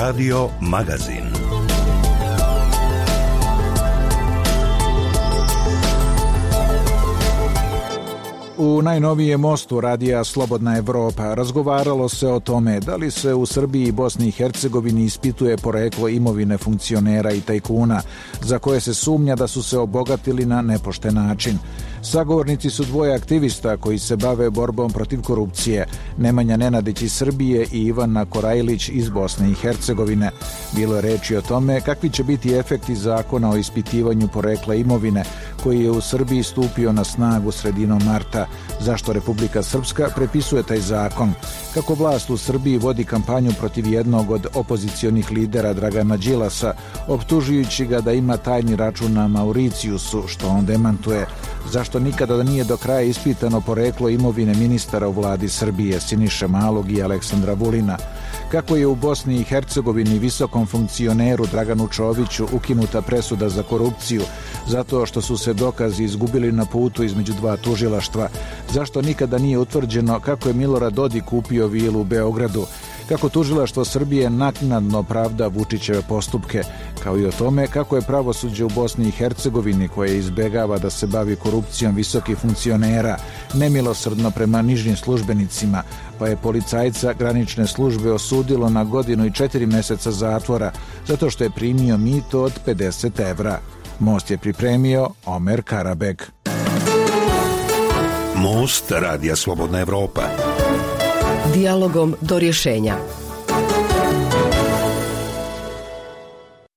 Radio Magazin. U najnovijem mostu radija Slobodna Evropa razgovaralo se o tome da li se u Srbiji i Bosni i Hercegovini ispituje poreklo imovine funkcionera i tajkuna za koje se sumnja da su se obogatili na nepošten način. Sagovornici su dvoje aktivista koji se bave borbom protiv korupcije, Nemanja Nenadić iz Srbije i Ivana Korajlić iz Bosne i Hercegovine. Bilo je reči o tome kakvi će biti efekti zakona o ispitivanju porekla imovine koji je u Srbiji stupio na snagu sredinom marta. Zašto Republika Srpska prepisuje taj zakon? Kako vlast u Srbiji vodi kampanju protiv jednog od opozicionih lidera Dragana Đilasa, optužujući ga da ima tajni račun na Mauricijusu, što on demantuje? Zašto nikada nije do kraja ispitano poreklo imovine ministara u vladi Srbije Siniše Malog i Aleksandra Vulina? Kako je u Bosni i Hercegovini visokom funkcioneru Draganu Čoviću ukinuta presuda za korupciju zato što su se dokazi izgubili na putu između dva tužilaštva? Zašto nikada nije utvrđeno kako je Milorad Dodik kupio vilu u Beogradu? Kako tužilaštvo Srbije naknadno pravda Vučićeve postupke, kao i o tome kako je pravosuđe u Bosni i Hercegovini, koje izbegava da se bavi korupcijom visokih funkcionera, nemilosrdno prema nižim službenicima, pa je policajca granične službe osudilo na 1 godinu i 4 meseca zatvora zato što je primio mito od 50 evra. Most je pripremio Omer Karabek. Most radija Slobodna Evropa. Dijalogom do rješenja.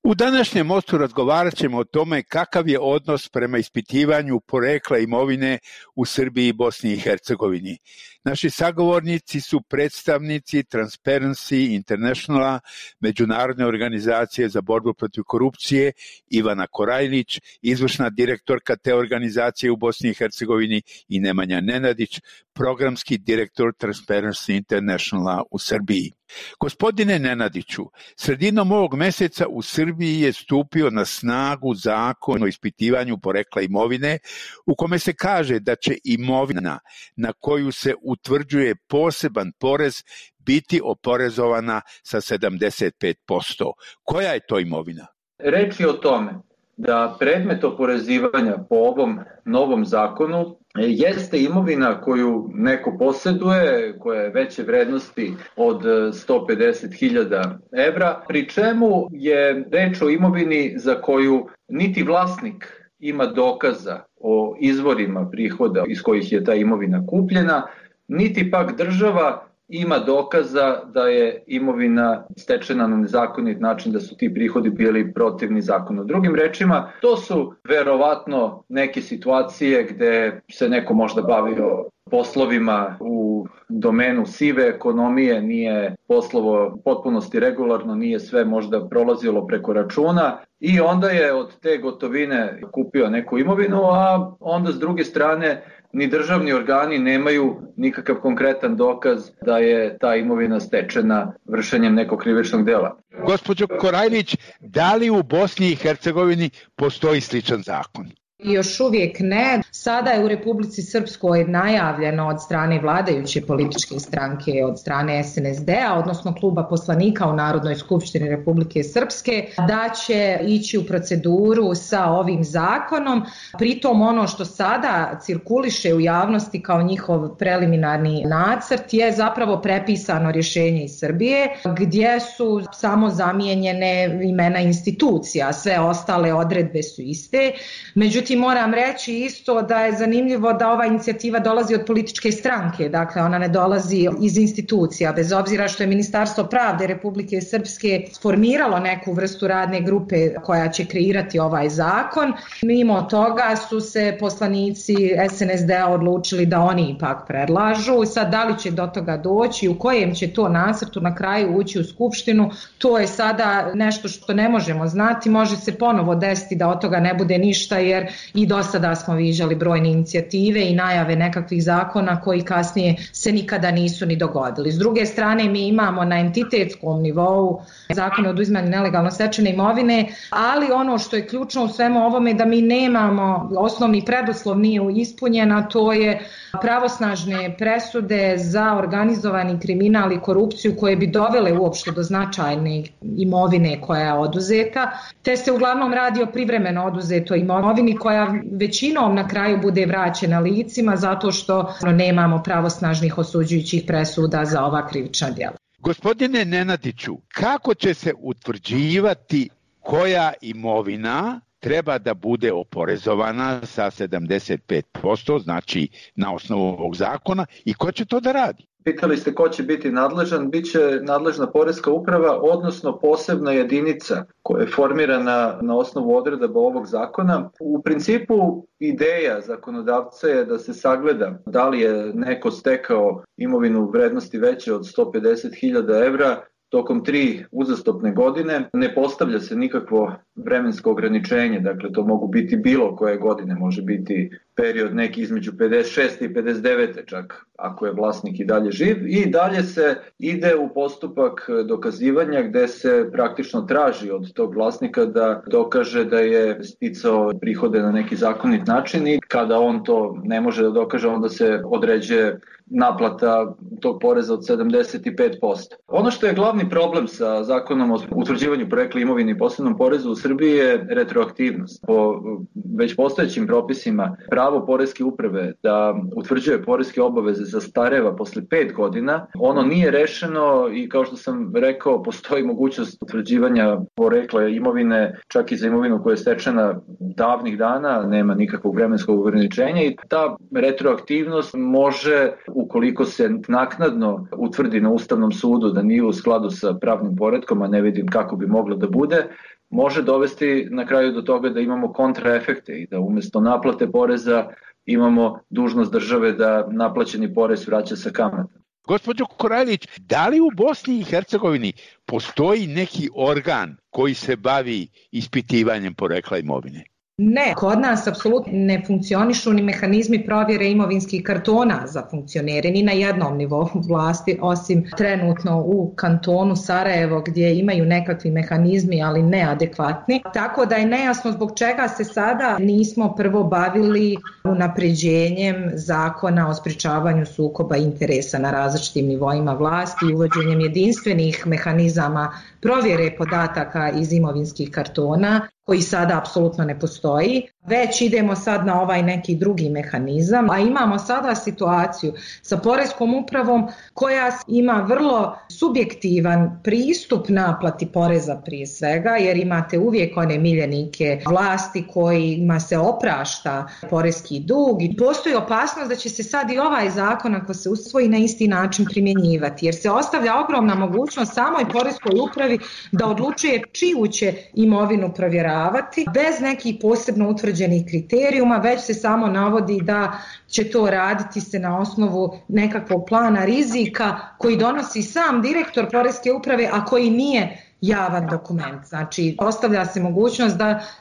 U današnjem mostu razgovarat ćemo o tome kakav je odnos prema ispitivanju porekla imovine u Srbiji i Bosni i Hercegovini. Naši sagovornici su predstavnici Transparency Internationala, međunarodne organizacije za borbu protiv korupcije, Ivana Korajlić, izvršna direktorka te organizacije u Bosni i Hercegovini, i Nemanja Nenadić, programski direktor Transparency Internationala u Srbiji. Gospodine Nenadiću, sredinom ovog meseca u Srbiji je stupio na snagu zakon o ispitivanju porekla imovine u kome se kaže da će imovina na koju se utvrđuje poseban porez biti oporezovana sa 75%. Koja je to imovina? Reč je o tome da predmet oporezivanja po ovom novom zakonu jeste imovina koju neko posjeduje, koja je veće vrednosti od 150.000 evra, pri čemu je reč o imovini za koju niti vlasnik ima dokaza o izvorima prihoda iz kojih je ta imovina kupljena, niti pak država ima dokaza da je imovina stečena na nezakonit način, da su ti prihodi bili protivni zakonu. Drugim rečima, to su verovatno neke situacije gde se neko možda bavio poslovima u domenu sive ekonomije, nije poslovo potpunosti regularno, nije sve možda prolazilo preko računa i onda je od te gotovine kupio neku imovinu, a onda s druge strane ni državni organi nemaju nikakav konkretan dokaz da je ta imovina stečena vršenjem nekog krivičnog dela. Gospođo Korajlić, da li u Bosni i Hercegovini postoji sličan zakon? Još uvijek ne. Sada je u Republici Srpskoj najavljeno od strane vladajuće političke stranke, od strane SNSD-a, odnosno kluba poslanika u Narodnoj skupštini Republike Srpske, da će ići u proceduru sa ovim zakonom. Pritom ono što sada cirkuliše u javnosti kao njihov preliminarni nacrt je zapravo prepisano rješenje iz Srbije, gdje su samo zamijenjene imena institucija, sve ostale odredbe su iste. Međutim, moram reći isto da je zanimljivo da ova inicijativa dolazi od političke stranke, dakle ona ne dolazi iz institucija, bez obzira što je Ministarstvo pravde Republike Srpske formiralo neku vrstu radne grupe koja će kreirati ovaj zakon. Mimo toga su se poslanici SNSD-a odlučili da oni ipak predlažu. Sad da li će do toga doći, u kojem će to nacrtu na kraju ući u Skupštinu, to je sada nešto što ne možemo znati. Može se ponovo desiti da od toga ne bude ništa, jer i do sada smo viđali brojne inicijative i najave nekakvih zakona koji kasnije se nikada nisu ni dogodili. S druge strane, mi imamo na entitetskom nivou zakon o oduzimanju nelegalno stečene imovine, ali ono što je ključno u svemu ovome je da mi nemamo, osnovni preduslov nije ispunjen, a to je pravosnažne presude za organizovani kriminal i korupciju koje bi dovele uopšte do značajne imovine koja je oduzeta, te se uglavnom radi o privremeno oduzetoj imovini koja većinom na kraju bude vraćena licima zato što nemamo pravosnažnih osuđujućih presuda za ova krivična djela. Gospodine Nenadiću, kako će se utvrđivati koja imovina treba da bude oporezovana sa 75%, znači na osnovu ovog zakona, i ko će to da radi? Pitali ste ko će biti nadležan, bit će nadležna poreska uprava, odnosno posebna jedinica koja je formirana na osnovu odredaba ovog zakona. U principu ideja zakonodavca je da se sagleda da li je neko stekao imovinu u vrednosti veće od 150.000 evra tokom 3 uzastopne godine. Ne postavlja se nikakvo vremensko ograničenje, dakle to mogu biti bilo koje godine, može biti period neki između 56. i 59. čak ako je vlasnik i dalje živ, i dalje se ide u postupak dokazivanja gde se praktično traži od tog vlasnika da dokaže da je sticao prihode na neki zakonit način, i kada on to ne može da dokaže, onda se određuje naplata tog poreza od 75%. Ono što je glavni problem sa zakonom o utvrđivanju porekla imovine i posebnom porezu u Srbiji je retroaktivnost. Po već postojećim propisima pravo poreske uprave da utvrđuje poreske obaveze zastareva posle 5 godina. Ono nije rešeno i, kao što sam rekao, postoji mogućnost utvrđivanja porekla imovine čak i za imovinu koja je stečena davnih dana, nema nikakvog vremenskog ograničenja, i ta retroaktivnost može, ukoliko se naknadno utvrdi na Ustavnom sudu da nije u skladu sa pravnim poretkom, a ne vidim kako bi moglo da bude, može dovesti na kraju do toga da imamo kontraefekte i da umesto naplate poreza imamo dužnost države da naplaćeni porez vraća sa kamatom. Gospođo Korajlić, da li u Bosni i Hercegovini postoji neki organ koji se bavi ispitivanjem porekla imovine? Ne, kod nas apsolutno ne funkcionišu ni mehanizmi provjere imovinskih kartona za funkcionere, ni na jednom nivou vlasti, osim trenutno u kantonu Sarajevo gdje imaju nekakvi mehanizmi, ali neadekvatni. Tako da je nejasno zbog čega se sada nismo prvo bavili unapređenjem zakona o sprečavanju sukoba interesa na različitim nivoima vlasti i uvođenjem jedinstvenih mehanizama provjere podataka iz imovinskih kartona, koji sada apsolutno ne postoji, već idemo sad na ovaj neki drugi mehanizam, a imamo sada situaciju sa poreskom upravom koja ima vrlo subjektivan pristup naplati poreza prije svega, jer imate uvijek one miljenike vlasti kojima se oprašta poreski dug i postoji opasnost da će se sad i ovaj zakon, ako se usvoji, na isti način primjenjivati, jer se ostavlja ogromna mogućnost samoj poreskoj upravi da odlučuje čiju će imovinu provjeravati bez nekih posebno utvrđenih kriterijuma, već se samo navodi da će to raditi se na osnovu nekakvog plana rizika koji donosi sam direktor poreske uprave, a koji nije javan dokument. Znači, ostavlja se mogućnost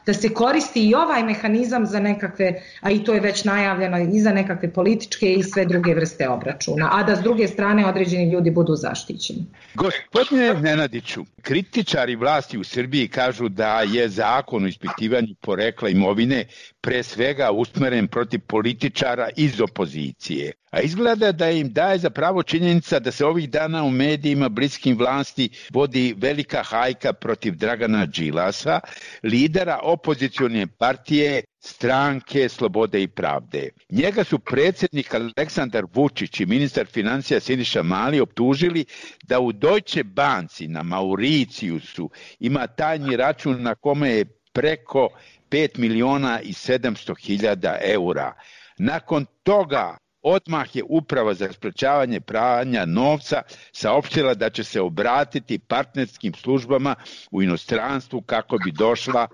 da se koristi i ovaj mehanizam za nekakve, a i to je već najavljeno, i za nekakve političke i sve druge vrste obračuna, a da s druge strane određeni ljudi budu zaštićeni. Gospodine Nenadiću, kritičari vlasti u Srbiji kažu da je zakon o ispitivanju porekla imovine pre svega usmeren protiv političara iz opozicije. A izgleda da im daje za pravo činjenica da se ovih dana u medijima bliskim vlasti vodi velika hajka protiv Dragana Đilasa, lidera opozicione partije Stranke slobode i pravde. Njega su predsjednik Aleksandar Vučić i ministar financija Siniša Mali optužili da u Deutsche Banci na Mauricijusu ima tajni račun na kome je preko 5.700.000 eura. Nakon toga odmah je Uprava za sprečavanje pranja novca saopštila da će se obratiti partnerskim službama u inostranstvu kako bi došla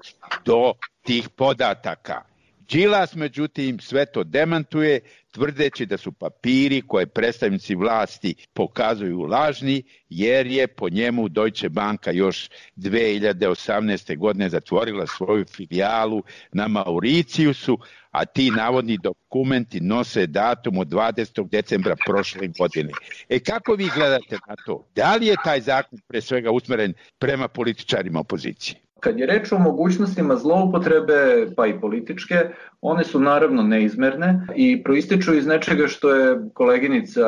do tih podataka. Đilas, međutim, sve to demantuje, tvrdeći da su papiri koje predstavnici vlasti pokazuju lažni, jer je po njemu Deutsche Banka još 2018. godine zatvorila svoju filijalu na Mauricijusu, a ti navodni dokumenti nose datum od 20. decembra prošle godine. Kako vi gledate na to? Da li je taj zakon pre svega usmeren prema političarima opozicije? Kad je reč o mogućnostima zloupotrebe, pa i političke, one su naravno neizmerne i proističu iz nečega što je koleginica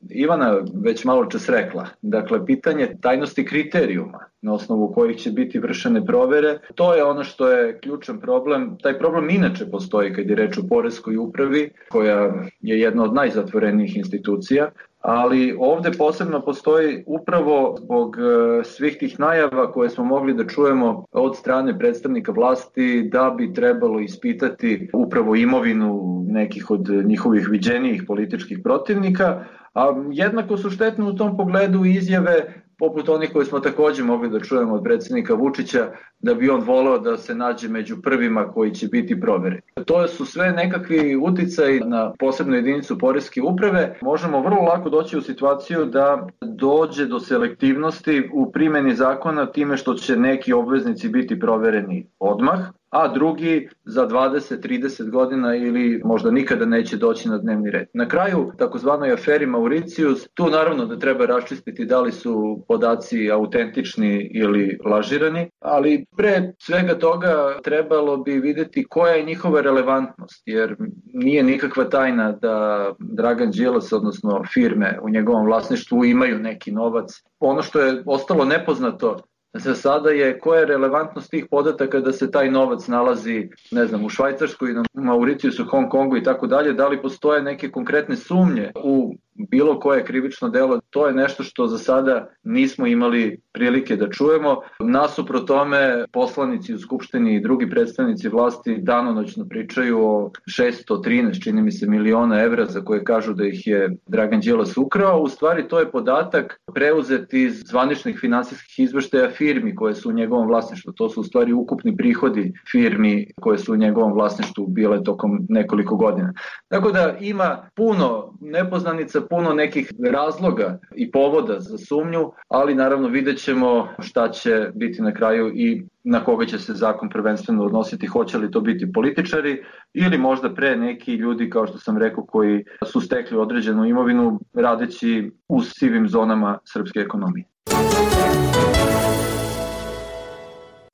Ivana već malo čas rekla. Dakle, pitanje tajnosti kriterijuma na osnovu kojih će biti vršene provere, to je ono što je ključan problem. Taj problem inače postoji kad je reč o poreskoj upravi, koja je jedna od najzatvorenijih institucija, ali ovde posebno postoji upravo zbog svih tih najava koje smo mogli da čujemo od strane predstavnika vlasti da bi trebalo ispitati upravo imovinu nekih od njihovih viđenijih političkih protivnika, a jednako su štetne u tom pogledu izjave poput onih koje smo takođe mogli da čujemo od predsjednika Vučića, da bi on voleo da se nađe među prvima koji će biti provereni. To su sve nekakvi uticaji na posebnu jedinicu poreske uprave. Možemo vrlo lako doći u situaciju da dođe do selektivnosti u primjeni zakona time što će neki obveznici biti provereni odmah, a drugi za 20-30 godina ili možda nikada neće doći na dnevni red. Na kraju, takozvanoj aferi Mauricijus, tu naravno da treba raščistiti da li su podaci autentični ili lažirani, ali pre svega toga trebalo bi videti koja je njihova relevantnost, jer nije nikakva tajna da Dragan Đilas, odnosno firme u njegovom vlasništvu imaju neki novac. Ono što je ostalo nepoznato za sada je koja je relevantnost tih podataka da se taj novac nalazi, ne znam, u Švajcarskoj, na Mauricijusu, Hong Kongu i tako dalje, da li postoje neke konkretne sumnje u bilo koje krivično delo, to je nešto što za sada nismo imali prilike da čujemo. Nasuprot tome, poslanici u Skupštini i drugi predstavnici vlasti danonoćno pričaju o 613, čini mi se, miliona evra za koje kažu da ih je Dragan Đilas ukrao. U stvari to je podatak preuzet iz zvaničnih finansijskih izveštaja firmi koje su u njegovom vlasništvu. To su u stvari ukupni prihodi firmi koje su u njegovom vlasništvu bile tokom nekoliko godina. Tako da ima puno nepoznanica, puno nekih razloga i povoda za sumnju, ali naravno vidjet ćemo šta će biti na kraju i na koga će se zakon prvenstveno odnositi, hoće li to biti političari ili možda pre neki ljudi, kao što sam rekao, koji su stekli određenu imovinu radeći u sivim zonama srpske ekonomije.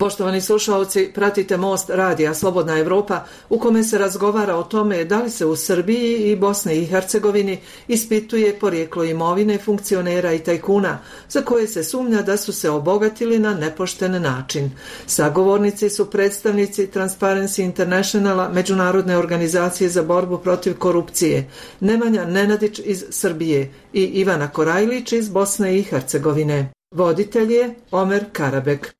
Poštovani slušalci, pratite Most radija Slobodna Evropa u kome se razgovara o tome da li se u Srbiji i Bosni i Hercegovini ispituje porijeklo imovine funkcionera i tajkuna za koje se sumnja da su se obogatili na nepošten način. Sagovornici su predstavnici Transparency Internationala, međunarodne organizacije za borbu protiv korupcije, Nemanja Nenadić iz Srbije i Ivana Korajlić iz Bosne i Hercegovine. Voditelj je Omer Karabek.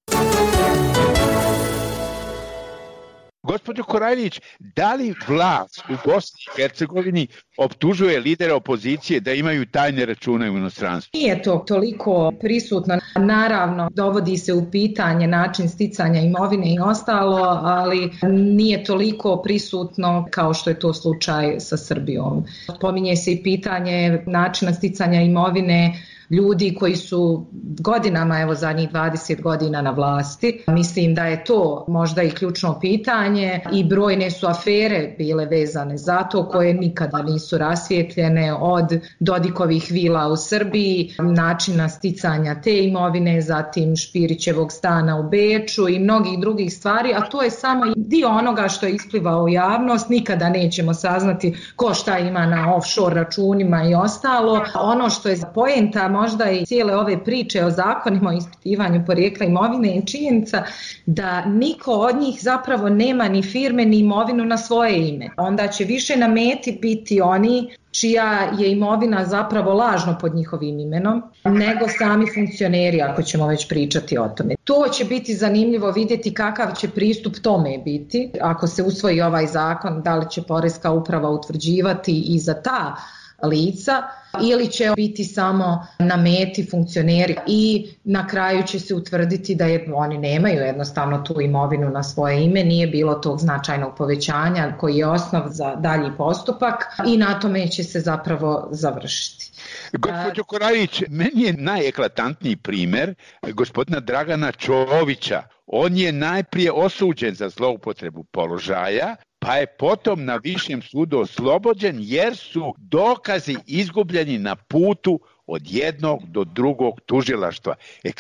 Gospođo Korajlić, da li vlast u Bosni i Hercegovini optužuje lidera opozicije da imaju tajne račune u inostranstvu? Nije to toliko prisutno. Naravno, dovodi se u pitanje način sticanja imovine i ostalo, ali nije toliko prisutno kao što je to slučaj sa Srbijom. Pominje se i pitanje načina sticanja imovine ljudi koji su godinama, evo zadnjih 20 godina na vlasti. Mislim da je to možda i ključno pitanje i brojne su afere bile vezane za to koje nikada nisu rasvijetljene, od Dodikovih vila u Srbiji, načina sticanja te imovine, zatim Špirićevog stana u Beču i mnogih drugih stvari, a to je samo dio onoga što je isplivao u javnost. Nikada nećemo saznati ko šta ima na offshore računima i ostalo. Ono što je poenta možda i cijele ove priče o zakonima o ispitivanju porijekla imovine je činjenica da niko od njih zapravo nema ni firme ni imovinu na svoje ime. Onda će više na meti biti oni čija je imovina zapravo lažno pod njihovim imenom, nego sami funkcioneri, ako ćemo već pričati o tome. To će biti zanimljivo vidjeti kakav će pristup tome biti. Ako se usvoji ovaj zakon, da li će poreska uprava utvrđivati i za ta lica ili će biti samo na meti funkcioneri i na kraju će se utvrditi da oni nemaju jednostavno tu imovinu na svoje ime, nije bilo tog značajnog povećanja koji je osnov za dalji postupak i na tome će se zapravo završiti. Gospođo Korajlić, meni je najeklatantniji primer gospodina Dragana Čovića. On je najprije osuđen za zloupotrebu položaja, pa je potom na višem sudu oslobođen jer su dokazi izgubljeni na putu od jednog do drugog tužilaštva.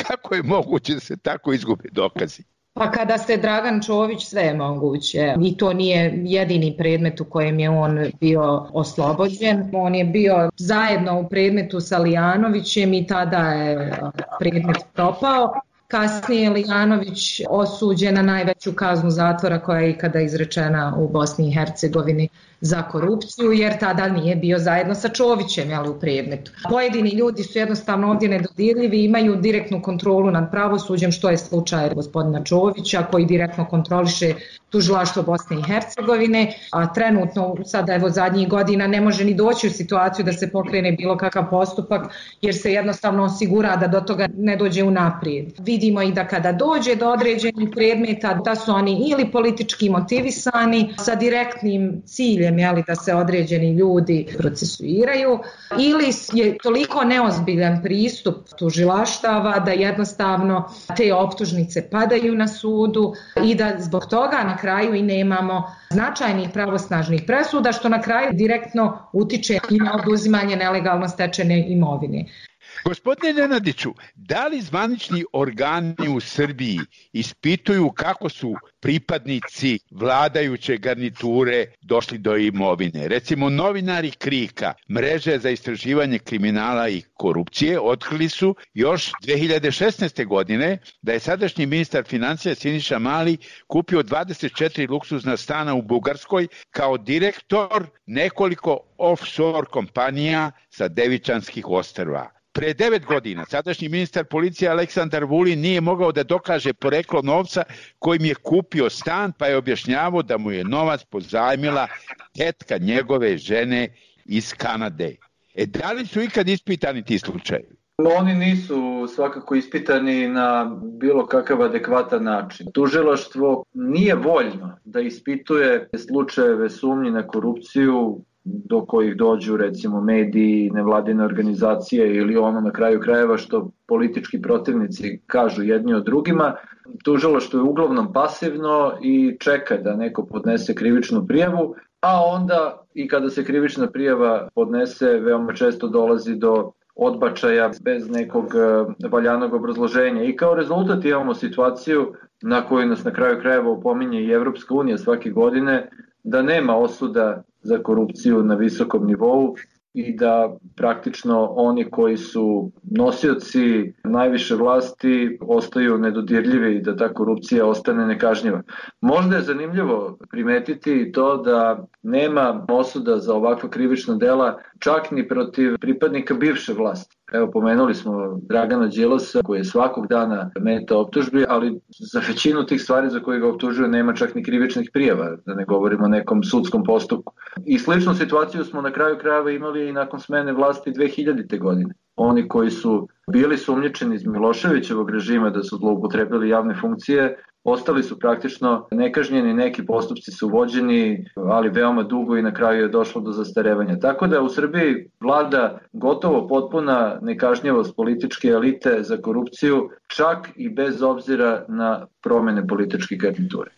Kako je moguće da se tako izgube dokazi? Pa kada se Dragan Čović, sve je moguće. I to nije jedini predmet u kojem je on bio oslobođen. On je bio zajedno u predmetu sa Lijanovićem i tada je predmet propao. Kasnije je Lijanović osuđen na najveću kaznu zatvora koja je ikada izrečena u Bosni i Hercegovini za korupciju, jer tada nije bio zajedno sa Čovićem u predmetu. Pojedini ljudi su jednostavno ovdje nedodirljivi, imaju direktnu kontrolu nad pravosuđem, što je slučaj gospodina Čovića, koji direktno kontroliše tužilaštvo Bosne i Hercegovine, a trenutno sada zadnjih godina ne može ni doći u situaciju da se pokrene bilo kakav postupak, jer se jednostavno osigura da do toga ne dođe unaprijed. Vidimo i da kada dođe do određenih predmeta, da su oni ili politički motivisani sa direktnim ciljem da se određeni ljudi procesuiraju, ili je toliko neozbiljan pristup tužilaštava da jednostavno te optužnice padaju na sudu i da zbog toga na kraju i nemamo značajnih pravosnažnih presuda, što na kraju direktno utiče i na oduzimanje nelegalno stečene imovine. Gospodine Nenadiću, da li zvanični organi u Srbiji ispituju kako su pripadnici vladajuće garniture došli do imovine? Recimo, novinari KRIK-a, mreže za istraživanje kriminala i korupcije, otkrili su još 2016. godine da je sadašnji ministar financija Siniša Mali kupio 24 luksuzna stana u Bugarskoj kao direktor nekoliko offshore kompanija sa Devičanskih ostrva. Pre 9 godina sadašnji ministar policije Aleksandar Vulin nije mogao da dokaže poreklo novca kojim je kupio stan, pa je objašnjavao da mu je novac pozajmila tetka njegove žene iz Kanade. Da li su ikad ispitani ti slučajevi? Oni nisu svakako ispitani na bilo kakav adekvatan način. Tužilaštvo nije voljno da ispituje slučajeve sumnji na korupciju do kojih dođu recimo mediji, nevladine organizacije ili ono na kraju krajeva što politički protivnici kažu jedni od drugima. Tužilaštvo je uglavnom pasivno i čeka da neko podnese krivičnu prijavu, a onda i kada se krivična prijava podnese veoma često dolazi do odbačaja bez nekog valjanog obrazloženja. I kao rezultat imamo situaciju na koju nas na kraju krajeva opominje i Evropska unija svake godine, da nema osuda za korupciju na visokom nivou i da praktično oni koji su nosioci najviše vlasti ostaju nedodirljivi i da ta korupcija ostane nekažnjiva. Možda je zanimljivo primetiti to da nema osuda za ovakva krivična dela čak ni protiv pripadnika bivše vlasti. Evo, pomenuli smo Dragana Đilasa koji je svakog dana meta optužbi, ali za većinu tih stvari za koje ga optužuju nema čak ni krivičnih prijava, da ne govorimo o nekom sudskom postupku. I sličnu situaciju smo na kraju krajeva imali i nakon smene vlasti 2000. godine. Oni koji su bili sumnjičeni iz Miloševićevog režima da su zloupotrebili javne funkcije, ostali su praktično nekažnjeni, neki postupci su vođeni, ali veoma dugo i na kraju je došlo do zastarevanja. Tako da u Srbiji vlada gotovo potpuna nekažnjivost političke elite za korupciju, čak i bez obzira na promene političke garniture.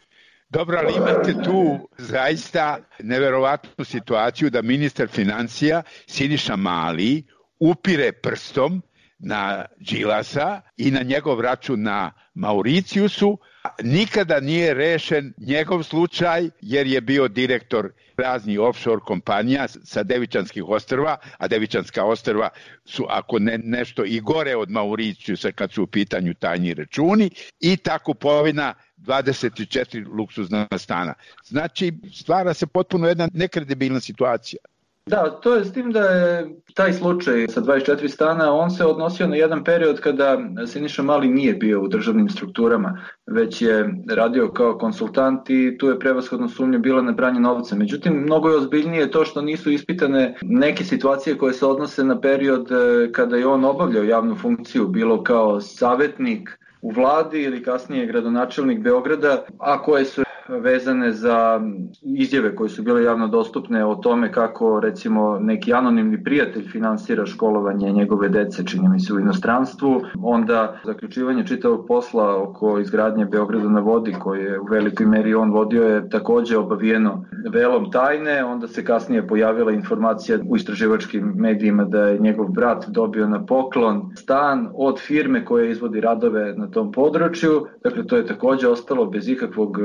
Dobro, ali imate tu zaista neverovatnu situaciju da ministar financija Siniša Mali upire prstom na Đilasa i na njegov račun na Mauricijusu. Nikada nije rešen njegov slučaj jer je bio direktor raznih offshore kompanija sa Devičanskih ostrva, a Devičanska ostrva su ako ne nešto i gore od Mauricijusa kad su u pitanju tajni računi, i ta kupovina 24 luksuzna stana. Znači, stvara se potpuno jedna nekredibilna situacija. Da, to je s tim da je taj slučaj sa 24 stana, on se odnosio na jedan period kada Siniša Mali nije bio u državnim strukturama, već je radio kao konsultant i tu je prevashodno sumnja bila na pranje novca. Međutim, mnogo je ozbiljnije to što nisu ispitane neke situacije koje se odnose na period kada je on obavljao javnu funkciju, bilo kao savjetnik u vladi ili kasnije gradonačelnik Beograda, a koje su vezane za izjave koje su bile javno dostupne o tome kako recimo neki anonimni prijatelj finansira školovanje njegove dece, čini mi se, u inostranstvu. Onda zaključivanje čitavog posla oko izgradnje Beograda na vodi, koje je u velikoj meri on vodio, je takođe obavijeno velom tajne. Onda se kasnije pojavila informacija u istraživačkim medijima da je njegov brat dobio na poklon stan od firme koja izvodi radove na tom području. Dakle, to je takođe ostalo bez ikakvog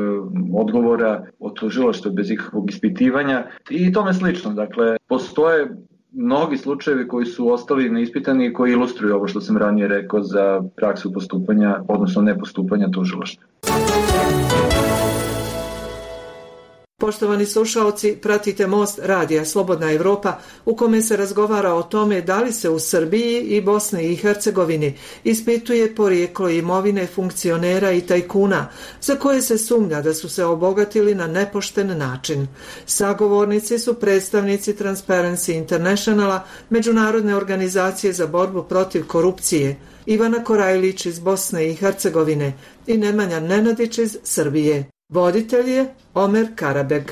odgovora od tužilaštva, bez ikakvog ispitivanja i tome slično. Dakle, postoje mnogi slučajevi koji su ostali neispitani i koji ilustruju ovo što sam ranije rekao za praksu postupanja, odnosno nepostupanja tužilaštva. Poštovani slušaoci, pratite Most radija Slobodna Evropa u kome se razgovara o tome da li se u Srbiji i Bosni i Hercegovini ispituje porijeklo imovine funkcionera i tajkuna za koje se sumnja da su se obogatili na nepošten način. Sagovornici su predstavnici Transparency Internationala, međunarodne organizacije za borbu protiv korupcije, Ivana Korajlić iz Bosne i Hercegovine i Nemanja Nenadić iz Srbije. Voditelj je Omer Karabeg.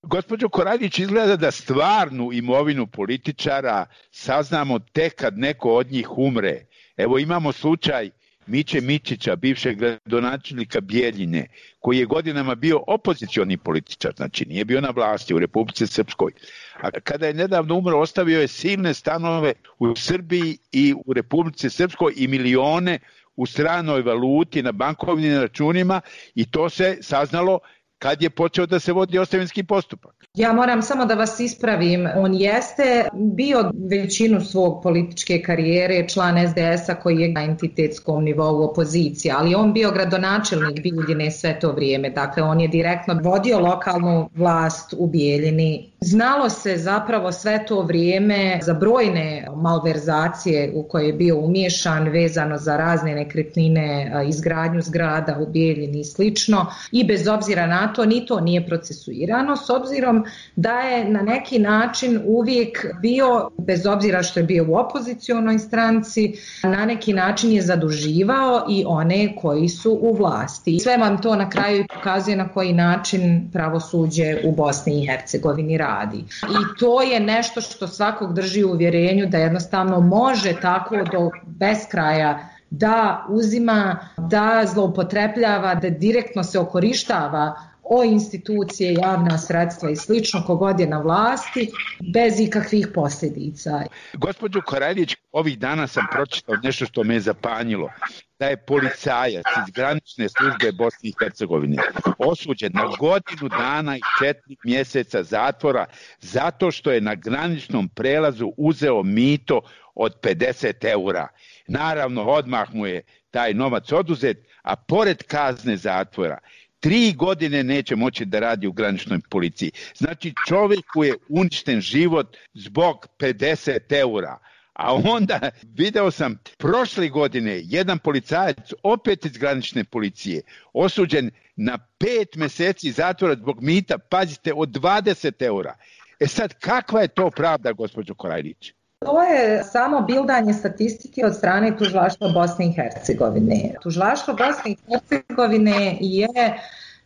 Gospođo Korajlić, izgleda da stvarnu imovinu političara saznamo tek kad neko od njih umre. Evo imamo slučaj Miće Mićića, bivšeg gradonačelnika Bijeljine, koji je godinama bio opozicioni političar, znači nije bio na vlasti u Republici Srpskoj. A kada je nedavno umro, ostavio je silne stanove u Srbiji i u Republici Srpskoj i milione u stranoj valuti na bankovnim računima i to se saznalo kad je počeo da se vodi ostavinski postupak. Ja moram samo da vas ispravim, on jeste bio većinu svog političke karijere član SDS-a koji je na entitetskom nivou opozicije, ali on bio gradonačelnik Bijeljine sve to vrijeme, dakle on je direktno vodio lokalnu vlast u Bijeljini. Znalo se zapravo sve to vrijeme za brojne malverzacije u koje je bio umiješan vezano za razne nekretnine, izgradnju zgrada u Bijeljini i slično, i bez obzira na to ni to nije procesuirano, s obzirom da je na neki način uvijek bio, bez obzira što je bio u opozicionoj stranci, na neki način je zaduživao i one koji su u vlasti. Sve vam to na kraju pokazuje na koji način pravosuđe u Bosni i Hercegovini radi. I to je nešto što svakog drži u uvjerenju da jednostavno može tako do beskraja da uzima, da zloupotrebljava, da direktno se okorištava o institucije, javna sredstva i slično kogod je na vlasti, bez ikakvih posljedica. Gospođo Korajlić, ovih dana sam pročitao nešto što me je zapanjilo, da je policajac iz granične službe Bosne i Hercegovine osuđen na 1 godinu dana i 4 mjeseca zatvora zato što je na graničnom prelazu uzeo mito od 50 eura. Naravno, odmah mu je taj novac oduzet, a pored kazne zatvora 3 godine neće moći da radi u graničnoj policiji. Znači, čovjeku je uništen život zbog 50 eura. A onda video sam prošle godine jedan policajac opet iz granične policije osuđen na 5 mjeseci zatvora zbog mita, pazite, od 20 eura. E sad, kakva je to pravda, gospođo Korajlić? To je samo bildanje statistike od strane Tužilaštva Bosne i Hercegovine. Tužilaštvo Bosne i Hercegovine je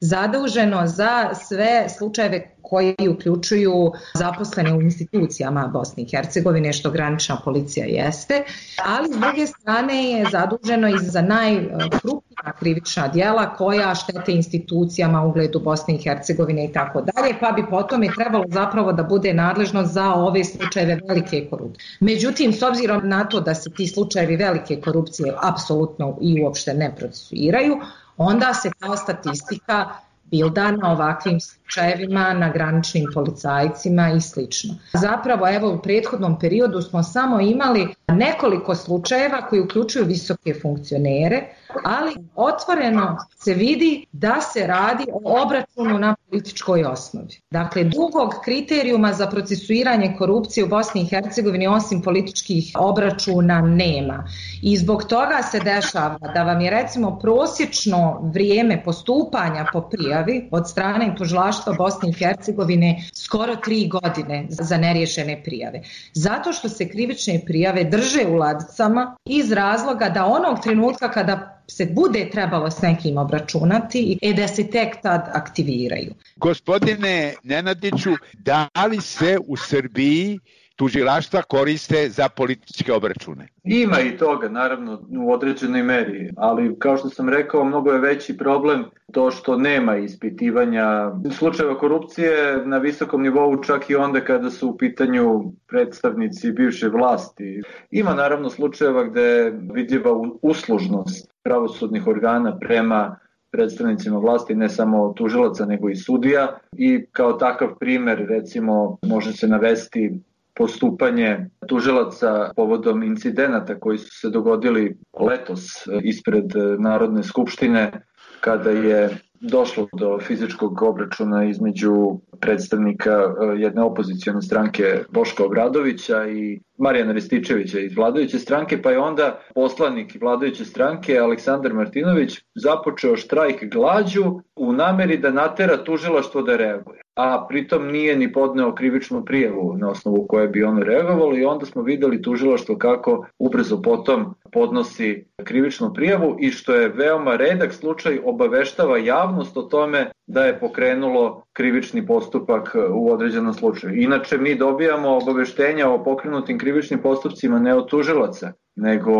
zaduženo za sve slučajeve koji uključuju zaposlene u institucijama Bosne i Hercegovine, što granična policija jeste, ali s druge strane je zaduženo i za najkrupnija krivična djela koja štete institucijama, ugledu Bosne i Hercegovine i tako dalje, pa bi potom je trebalo zapravo da bude nadležno za ove slučajeve velike korupcije. Međutim, s obzirom na to da se ti slučajevi velike korupcije apsolutno i uopšte ne procesuiraju, onda se kao statistika bilda na ovakvim slučajevima, na graničnim policajcima i slično. Zapravo, evo, u prethodnom periodu smo samo imali nekoliko slučajeva koji uključuju visoke funkcionere, ali otvoreno se vidi da se radi o obračunu na političkoj osnovi. Dakle, drugog kriterijuma za procesuiranje korupcije u Bosni i Hercegovini osim političkih obračuna nema. I zbog toga se dešava da vam je recimo prosječno vrijeme postupanja po prijavi od strane Tužilaštva Bosne i Hercegovine skoro 3 godine za neriješene prijave. Zato što se krivične prijave drže u ladicama iz razloga da onog trenutka kada se bude trebalo s nekim obračunati i da se tek tad aktiviraju. Gospodine Nenadiću, da li se u Srbiji tužilaštva koriste za političke obračune? Ima i toga, naravno, u određenoj meri, ali kao što sam rekao, mnogo je veći problem to što nema ispitivanja slučajeva korupcije na visokom nivou, čak i onda kada su u pitanju predstavnici bivše vlasti. Ima naravno slučajeva gde je vidljiva uslužnost pravosudnih organa prema predstavnicima vlasti, ne samo tužilaca nego i sudija, i kao takav primer recimo može se navesti postupanje tužilaca povodom incidenata koji su se dogodili letos ispred Narodne skupštine, kada je došlo do fizičkog obračuna između predstavnika jedne opozicione stranke Boška Obradovića i Marijana Rističevića iz vladajuće stranke, pa je onda poslanik vladajuće stranke Aleksandar Martinović započeo štrajk glađu u nameri da natera tužilaštvo da reaguje, a pritom nije ni podneo krivičnu prijavu na osnovu koje bi ono reagovalo, i onda smo videli tužilaštvo kako ubrzo potom podnosi krivičnu prijavu i, što je veoma redak slučaj, obaveštava javnost o tome da je pokrenulo krivični postupak u određenom slučaju. Inače, mi dobijamo obaveštenja o pokrenutim krivičnim postupcima ne od tužilaca, nego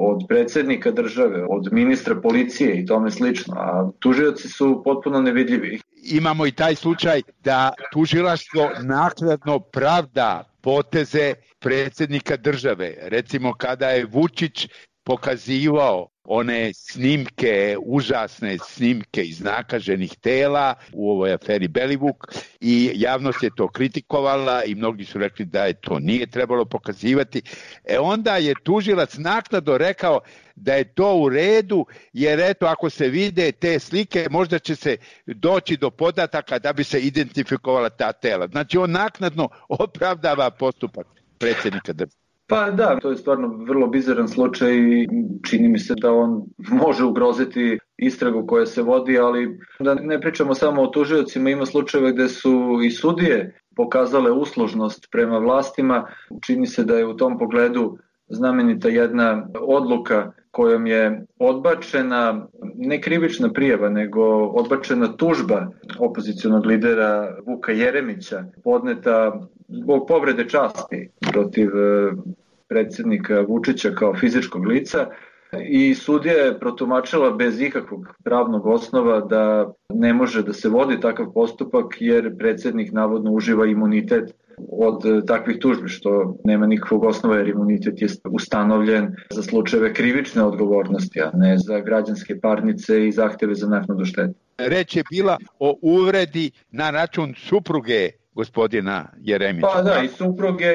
od predsjednika države, od ministra policije i tome slično, a tužioci su potpuno nevidljivi. Imamo i taj slučaj da tužilaštvo naknadno pravda poteze predsjednika države. Recimo kada je Vučić pokazivao one snimke, užasne snimke iznakaženih tela u ovoj aferi Belivuk, i javnost je to kritikovala i mnogi su rekli da je to nije trebalo pokazivati. Onda je tužilac naknadno rekao da je to u redu, jer eto, ako se vide te slike, možda će se doći do podataka da bi se identifikovala ta tela. Znači, on naknadno opravdava postupak predsjednika države. Pa da, to je stvarno vrlo bizaran slučaj i čini mi se da on može ugroziti istragu koja se vodi, ali da ne pričamo samo o tužiocima, ima slučajeva gde su i sudije pokazale uslužnost prema vlastima. Čini se da je u tom pogledu znamenita jedna odluka kojom je odbačena ne krivična prijava, nego odbačena tužba opozicionog lidera Vuka Jeremića, podneta zbog povrede časti protiv predsjednika Vučića kao fizičkog lica, i sudija je protumačila bez ikakvog pravnog osnova da ne može da se vodi takav postupak jer predsjednik navodno uživa imunitet od takvih tužbi, što nema nikakvog osnova jer imunitet je ustanovljen za slučajeve krivične odgovornosti, a ne za građanske parnice i zahteve za naknadu štete. Reč je bila o uvredi na račun supruge gospodina Jeremića. Pa da,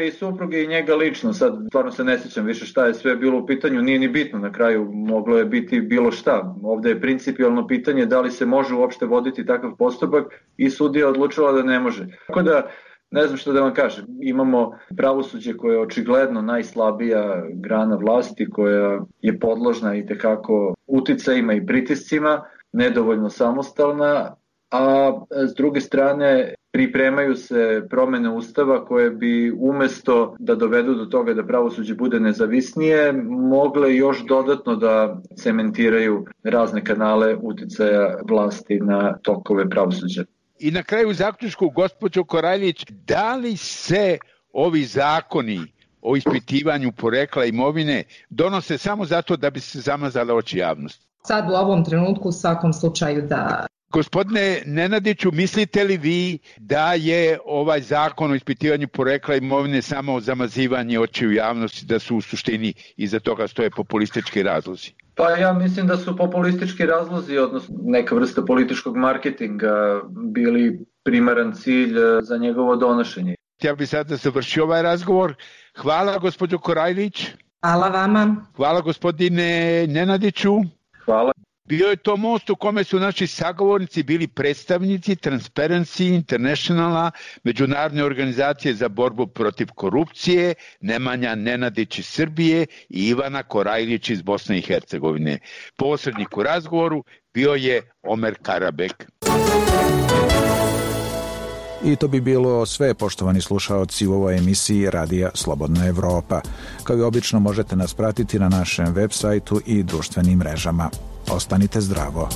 i supruge i njega lično. Sad stvarno se ne sjećam više šta je sve bilo u pitanju, nije ni bitno, na kraju moglo je biti bilo šta. Ovde je principijalno pitanje da li se može uopšte voditi takav postupak i sudija odlučila da ne može. Tako da, ne znam što da vam kažem, imamo pravosuđe koje je očigledno najslabija grana vlasti, koja je podložna i tekako uticajima i pritiscima, nedovoljno samostalna, a s druge strane pripremaju se promene Ustava koje bi umesto da dovedu do toga da pravosuđe bude nezavisnije, mogle još dodatno da cementiraju razne kanale uticaja vlasti na tokove pravosuđa. I na kraju zaključku, gospođo Koraljić, da li se ovi zakoni o ispitivanju porekla imovine donose samo zato da bi se zamazale oči javnosti? Sad u ovom trenutku u svakom slučaju da. Gospodine Nenadiću, mislite li vi da je ovaj zakon o ispitivanju porekla imovine samo zamazivanje očiju javnosti, da su u suštini iza toga stoje populistički razlozi? Pa ja mislim da su populistički razlozi, odnosno neka vrsta političkog marketinga, bili primaran cilj za njegovo donošenje. Ja bih sada završio ovaj razgovor. Hvala gospođo Korajlić. Hvala vama. Hvala gospodine Nenadiću. Hvala. Bio je to most u kome su naši sagovornici bili predstavnici Transparency Internationala, međunarodne organizacije za borbu protiv korupcije, Nemanja Nenadić iz Srbije i Ivana Korajlić iz Bosne i Hercegovine. Posrednik u razgovoru bio je Omer Karabek. I to bi bilo sve, poštovani slušaoci, u ovoj emisiji Radija Slobodna Evropa. Kao i obično možete nas pratiti na našem web sajtu i društvenim mrežama. Ostanite zdravo.